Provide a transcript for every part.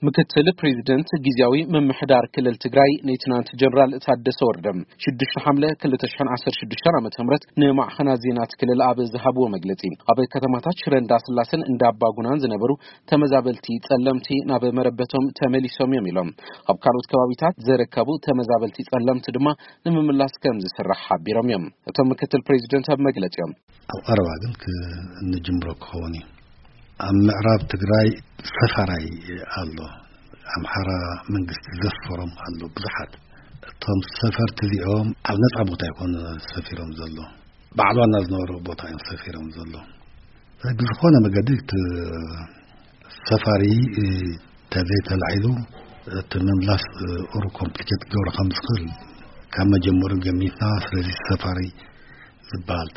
ምክትል ፕሬዚደንት ጊዜያዊ ምምሕዳር ክልል ትግራይ ሌትናንት ጀነራል ታደሰ ወረደ ሽዱሽተ ሓምለ ክልተ ሽሕን ዓሰርተ ሽዱሽተን ዓመተ ምህረት ንማዕኸናት ዜናት ክልል ኣብ ዝሃብዎ መግለጺ፣ ኣብ ከተማታት ሽረ እንዳስላሰን እንዳባጉናን ዝነበሩ ተመዛበልቲ ጸለምቲ ናብ መረበቶም ተመሊሶም እዮም ኢሎም። ኣብ ካልኦት ከባቢታት ዝርከቡ ተመዛበልቲ ጸለምቲ ድማ ንምምላስ ከም ዝስራሕ ሓቢሮም እዮም። እቶም ምክትል ፕሬዚደንት ኣብ መግለጺኦም ኣብ ቀረባ ግን ክ-፣ እንጅምሮ ክኸውን እዩ። ኣብ ምዕራብ ትግራይ ሰፈራይ ኣሎ። ኣምሓራ መንግስቲ ዘስፈሮም ኣሎ ብዙሓት። እቶም ሰፈርቲ እዚኦም ኣብ ነፃ ቦታ ይኮኑ ሰፊሮም ዘሎ። በዓል ዋና ዝነበሩ ቦታ እዮም ሰፊሮም ዘሎ። ብዝኾነ መገዲ እቲ ሰፋሪ፣ እ፣ ተዘይተላዒሉ እቲ ምምላስ፣ እ፣ ኡሩ ኮምፕሊኬት ክገብሮ ከም ዝኽእል ካብ መጀመሩ ገሚትና። ስለዚ ሰፋሪ ዝበሃል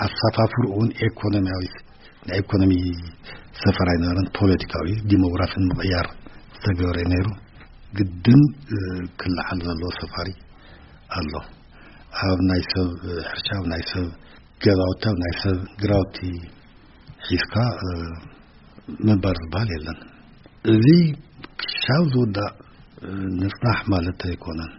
ኣሰፋፍርኡ እውን ኢኮኖሚያዊ፣ ናይ ኢኮኖሚ ሰፈር ኣይነበረን፣ ፖለቲካዊ ዲሞግራፊን ምቕያር ዝተገበረ እዩ ነይሩ። ግድን፣ እ፣ ክለዓል ዘለዎ ሰፋሪ ኣሎ። ኣብ ናይ ሰብ፣ እ፣ ሕርሻ፣ ኣብ ናይ ሰብ ገዛውቲ፣ ኣብ ናይ ሰብ ግራውቲ ሒዝካ፣ እ፣ ምንባር ዝበሃል የለን። እዚ ክሻብ ዝውዳእ፣ እ፣ ንጽናሕ ማለት ኣይኮነን።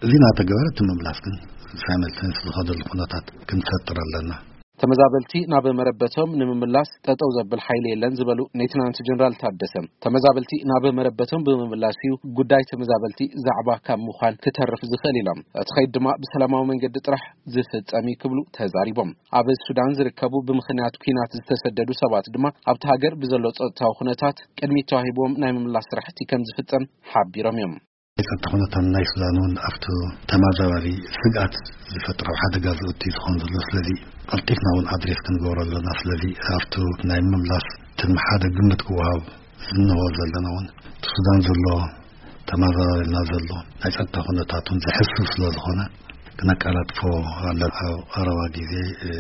እዚ እናተገበረ እቲ ምምላስ ግን ሳይመልተንስ ዝኸደሉ ኩነታት ክንፈጥር ኣለና። ተመዛበልቲ ናብ መረበቶም ንምምላስ ጠጠው ዘብል ሓይሊ የለን ዝበሉ ሌትናንት ጀነራል ታደሰ፣ ተመዛበልቲ ናብ መረበቶም ብምምላስ እዩ ጉዳይ ተመዛበልቲ ዛዕባ ካብ ምዃን ክተርፍ ዝኽእል ኢሎም። እቲ ኸይድ ድማ ብሰላማዊ መንገዲ ጥራሕ ዝፍጸም እዩ ክብሉ ተዛሪቦም። ኣብ ሱዳን ዝርከቡ ብምኽንያት ኲናት ዝተሰደዱ ሰባት ድማ ኣብቲ ሃገር ብዘሎ ጸጥታዊ ኩነታት ቅድሚት ተዋሂብዎም ናይ ምምላስ ስራሕቲ ከም ዝፍጸም ሓቢሮም እዮም። የጸጥታ ኩነታት ናይ ሱዳን እውን ኣብቲ ተመዛባሊ ስግኣት ዝፈጥር፣ ኣብ ሓደጋ ዘእቱ እዩ ዝኸውን ዘሎ። ስለዚ ቀልጢፍና እውን ኣድሬስ ክንገብሮ ኣለና። ስለዚ ኣብቲ ናይ ምምላስ ትልሚ ሓደ ግምት ክወሃብ እንሆ ዘለና እውን እቲ ሱዳን ዘሎ ተመዛባልና ዘሎ ናይ ጸጥታ ኩነታት እውን ዘሕስብ ስለ ዝኾነ ክነቀላጥፎ ኣለና። ኣብ ቀረባ ግዜ፣ እ፣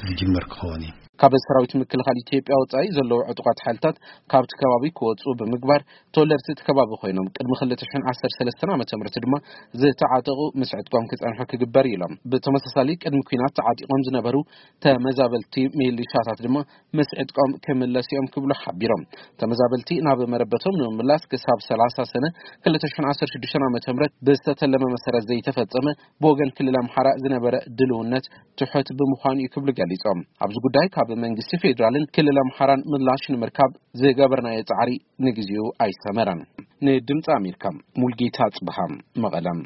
ዝጅመር ክኸውን እዩ። ካብ ሰራዊት ምክልኻል ኢትዮጵያ ወጻኢ ዘለዉ ዕጡቓት ሓይልታት ካብቲ ከባቢ ክወጽኡ ብምግባር፣ ተወለድቲ እቲ ከባቢ ኮይኖም ቅድሚ ክልተ ሽሕን ዓሰርተ ሰለስተን ዓመተ ምህረት ድማ ዝተዓጠቑ ምስ ዕጥቆም ክጸንሑ ክግበር እዩ ኢሎም። ብተመሳሳሊ ቅድሚ ኲናት ተዓጢቖም ዝነበሩ ተመዛበልቲ ሚሊሻታት ድማ ምስ ዕጥቆም ክምለሱ እዮም ክብሉ ሓቢሮም። ተመዛበልቲ ናብ መረበቶም ንምምላስ ክሳብ ሰላሳ ሰነ ክልተ ሽሕን ዓሰርተ ሽዱሽተን ዓመተ ምህረት ብዝተተለመ መሰረት ዘይተፈጸመ ብወገን ክልል ኣምሓራ ዝነበረ ድልውነት ትሑት ብምዃኑ እዩ ክብሉ ገሊጾም። ኣብዚ ጉዳይ ካብ መንግስቲ ፌዴራልን ክልል ኣምሓራን ምላሽ ንምርካብ ዝገበርናዮ ጻዕሪ ንግዜኡ ኣይሰመረን። ንድምፂ ኣሜሪካ ሙልጌታ ጽብሃ መቐለም።